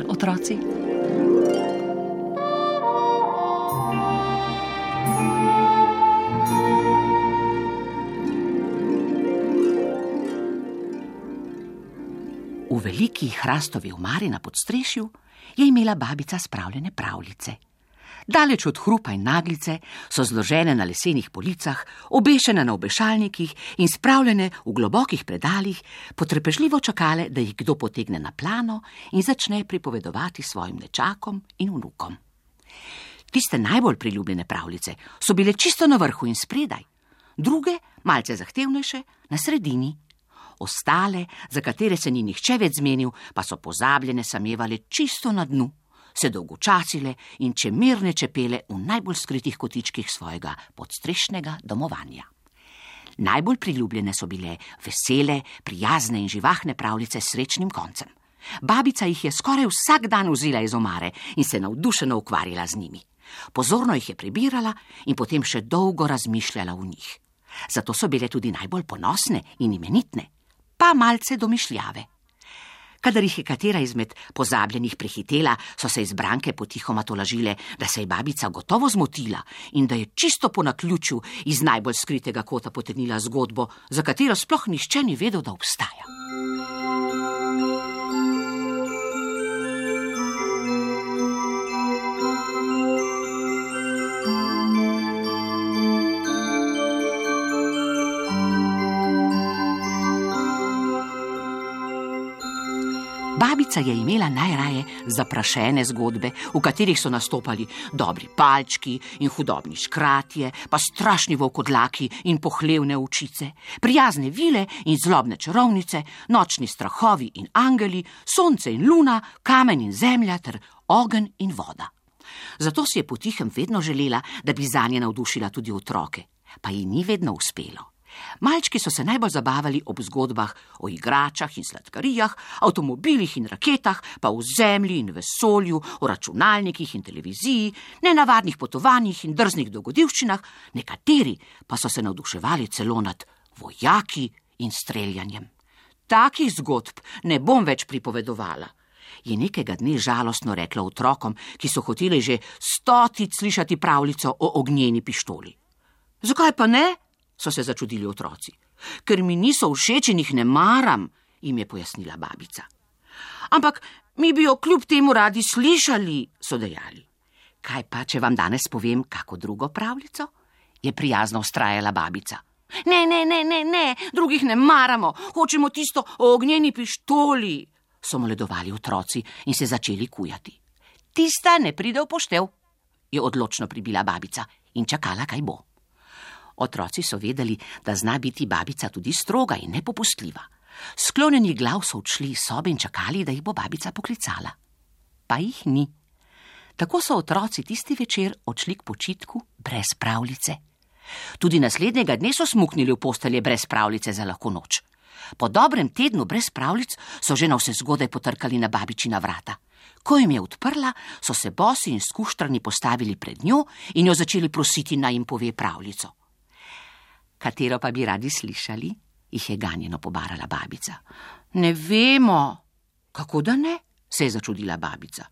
dovolj, otroci? V veliki hrastovi omari na podstrešju je imela babica spravljene pravljice. Daleč od hrupa in naglice so zložene na lesenih policah, obešene na obešalnikih in spravljene v globokih predalih, potrpežljivo čakale, da jih kdo potegne na plano in začne pripovedovati svojim nečakom in vnukom. Tiste najbolj priljubljene pravljice so bile čisto na vrhu in spredaj, druge, malce zahtevnejše, na sredini. Ostale, za katere se ni nihče več zmenil, pa so pozabljene samevale čisto na dnu, se dolgočasile in čemirne čepele v najbolj skritih kotičkih svojega podstrešnega domovanja. Najbolj priljubljene so bile vesele, prijazne in živahne pravljice s srečnim koncem. Babica jih je skoraj vsak dan vzela iz omare in se navdušeno ukvarjala z njimi. Pozorno jih je prebirala in potem še dolgo razmišljala v njih. Zato so bile tudi najbolj ponosne in imenitne, pa malce domišljave. Kadar jih je katera izmed pozabljenih prehitela, so se izbranke potihoma tolažile, da se je babica gotovo zmotila in da je čisto po naključju iz najbolj skritega kota potegnila zgodbo, za katero sploh nihče ni vedel, da obstaja. Babica je imela najraje zaprašene zgodbe, v katerih so nastopali dobri palčki in hudobni škratje, pa strašni volkodlaki in pohlevne ovčice, prijazne vile in zlobne čarovnice, nočni strahovi in angeli, sonce in luna, kamen in zemlja ter ogenj in voda. Zato si je potihem vedno želela, da bi zanje navdušila tudi otroke, pa ji ni vedno uspelo. Malčki so se najbolj zabavali ob zgodbah o igračah in sladkarijah, avtomobilih in raketah, pa o zemlji in vesolju, o računalnikih in televiziji, nenavadnih potovanjih in drznih dogodivščinah, nekateri pa so se navduševali celo nad vojaki in streljanjem. Takih zgodb ne bom več pripovedovala, je nekega dne žalostno rekla otrokom, ki so hoteli že 100-tič slišati pravljico o ognjeni pištoli. Zakaj pa ne? So se začudili otroci. Ker mi niso všeč in jih ne maram, jim je pojasnila babica. Ampak mi bi jo kljub temu radi slišali, so dejali. Kaj pa, če vam danes povem kako drugo pravljico? Je prijazno vztrajala babica. Ne, drugih ne maramo, hočemo tisto o ognjeni pištoli, so moledovali otroci in se začeli kujati. Tista ne pride v poštev, je odločno pribila babica in čakala, kaj bo. Otroci so vedeli, da zna biti babica tudi stroga in nepopustljiva. Sklonjenih glav so odšli iz sobe in čakali, da jih bo babica poklicala. Pa jih ni. Tako so otroci tisti večer odšli k počitku brez pravljice. Tudi naslednjega dne so smuknili v postelje brez pravljice za lahko noč. Po dobrem tednu brez pravljic so že navsezgodaj potrkali na babičina vrata. Ko jim je odprla, so se bosi in skuštrani postavili pred njo in jo začeli prositi, naj jim pove pravljico. Katero pa bi radi slišali, jih je ganjeno pobarala babica. Ne vemo. Kako da ne? Se je začudila babica.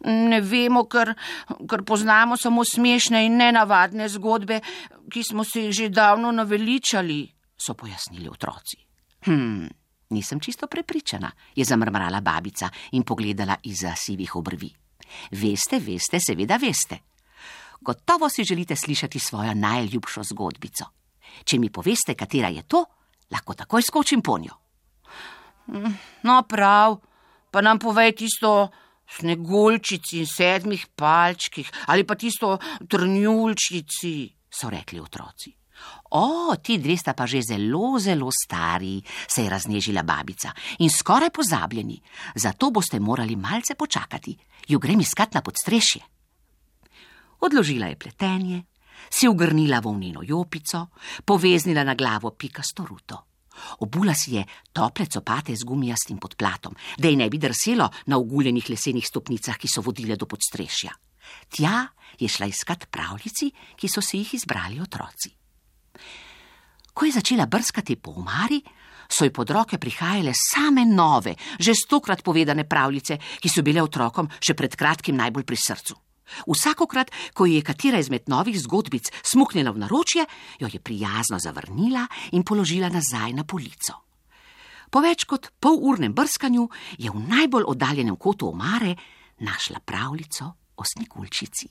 Ne vemo, ker poznamo samo smešne in nenavadne zgodbe, ki smo se jih že davno naveličali, so pojasnili otroci. Nisem čisto prepričana, je zamrmrala babica in pogledala izza sivih obrvi. Veste, seveda veste. Gotovo si želite slišati svojo najljubšo zgodbico. Če mi poveste, katera je to, lahko takoj skočim ponjo. No prav, pa nam povej tisto o Sneguljčici in 7 palčkih, ali pa tisto o Trnjulčici, so rekli otroci. Ti dve sta pa že zelo stari, se je raznežila babica, in skoraj pozabljeni, zato boste morali malce počakati, ju grem iskat na podstrešje. Odložila je pletenje, si ugrnila volneno jopico, poveznila na glavo pikasto ruto. Obula si je tople copate z gumijastim podplatom, da ji ne bi drselo na oguljenih lesenih stopnicah, ki so vodile do podstrešja. Tja je šla iskat pravljici, ki so si jih izbrali otroci. Ko je začela brskati po omari, so ji pod roke prihajale same nove, že 100-krat povedane pravljice, ki so bile otrokom še pred kratkim najbolj pri srcu. Vsakokrat, ko ji je katera izmed novih zgodbic smuknila v naročje, jo je prijazno zavrnila in položila nazaj na polico. Po več kot polurnem brskanju je v najbolj oddaljenem kotu omare našla pravljico o Sneguljčici.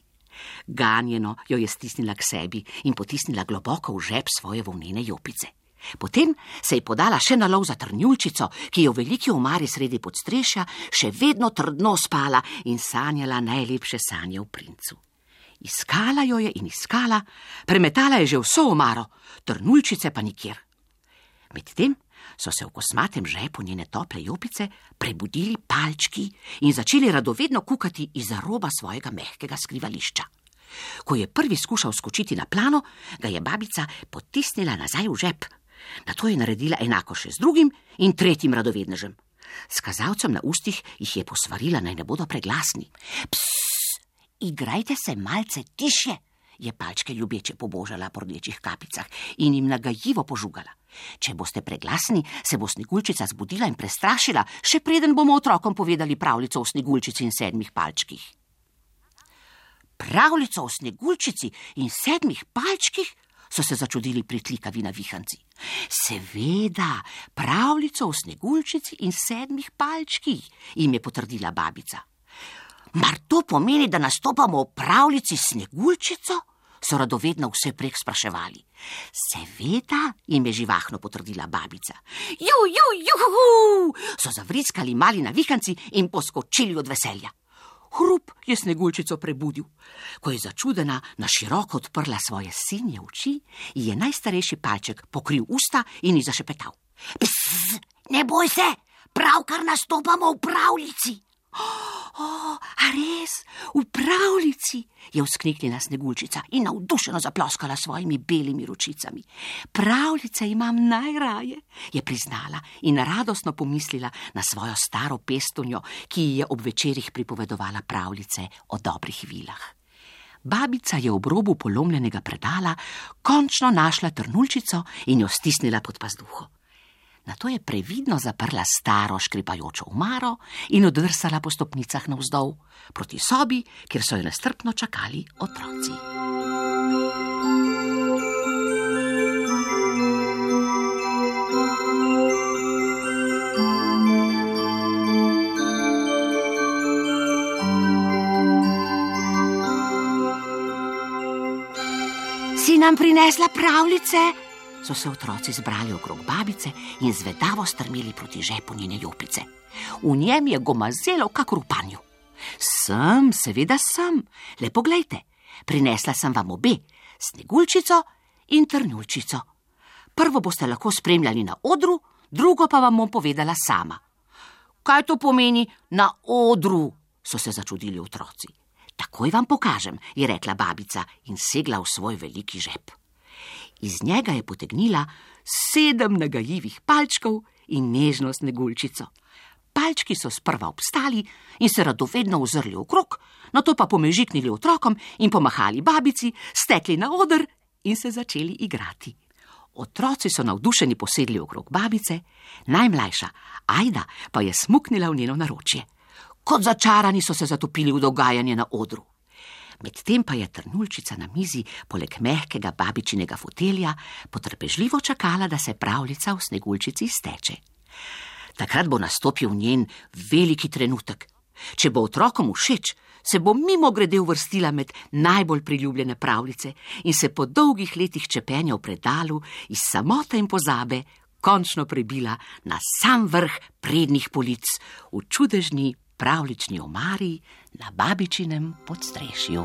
Ganjeno jo je stisnila k sebi in potisnila globoko v žep svoje volnene jopice. Potem se je podala še na lov za Trnulčico, ki je v veliki omari sredi podstrešja še vedno trdno spala in sanjala najlepše sanje o princu. Iskala jo je in iskala, premetala je že vso omaro, Trnulčice pa nikjer. Medtem so se v kosmatem žepu njene tople jopice prebudili palčki in začeli radovedno kukati izza roba svojega mehkega skrivališča. Ko je prvi skušal skočiti na plano, ga je babica potisnila nazaj v žep. Nato je naredila enako še z drugim in tretjim radovednežem. S kazalcem na ustih jih je posvarila, naj ne bodo preglasni. Psss, igrajte se malce tišje, je palčke ljubeče pobožala po rdečih kapicah in jim nagajivo požugala. Če boste preglasni, se bo Sneguljčica zbudila in prestrašila, še preden bomo otrokom povedali pravljico o Sneguljčici in 7 palčkih. Pravljico o Sneguljčici in 7 palčkih? So se začudili pritlikavi navihanci. Seveda, pravljico o Sneguljčici in 7 palčkih, jim je potrdila babica. Mar to pomeni, da nastopamo v pravljici s Sneguljčico? So radovedno vse prek spraševali. Seveda, jim je živahno potrdila babica. Juhu, so zavriskali mali navihanci in poskočili od veselja. Hrup je Sneguljčico prebudil. Ko je začudena na široko odprla svoje sinje oči, ji je najstarejši palček pokril usta in ji zašepetal. Psst, ne boj se, pravkar nastopamo v pravljici. A res, v pravljici, je vzkliknila Sneguljčica in navdušeno zaploskala svojimi belimi ročicami. Pravljice imam najraje, je priznala in radostno pomislila na svojo staro pestunjo, ki ji je ob večerih pripovedovala pravljice o dobrih vilah. Babica je ob robu polomljenega predala končno našla Trnulčico in jo stisnila pod pazduho. Nato je previdno zaprla staro škripajočo omaro in oddrsala po stopnicah navzdol, proti sobi, kjer so jo nestrpno čakali otroci. Si nam prinesla pravljice? So se otroci zbrali okrog babice in zvedavo strmeli proti žepu njene jopice. V njem je gomazelo kakor v panju. Sem, seveda sem. Le poglejte, prinesla sem vam obe, Sneguljčico in Trnulčico. Prvo boste lahko spremljali na odru, drugo pa vam bom povedala sama. Kaj to pomeni na odru? So se začudili otroci. Takoj vam pokažem, je rekla babica in segla v svoj veliki žep. Iz njega je potegnila 7 nagajivih palčkov in nežno Sneguljčico. Palčki so sprva obstali in se radovedno ozrli okrog, nato pa pomežiknili otrokom in pomahali babici, stekli na oder in se začeli igrati. Otroci so navdušeni posedli okrog babice, najmlajša, Ajda, pa je smuknila v njeno naročje. Kot začarani so se zatopili v dogajanje na odru. Medtem pa je Trnulčica na mizi poleg mehkega babičinega fotelja potrpežljivo čakala, da se pravljica o Sneguljčici izteče. Takrat bo nastopil njen veliki trenutek. Če bo otrokom všeč, se bo mimogrede uvrstila med najbolj priljubljene pravljice in se po dolgih letih čepenja v predalu iz samote in pozabe končno prebila na sam vrh prednjih polic v čudežni pravljični omari na babičinem podstrešju.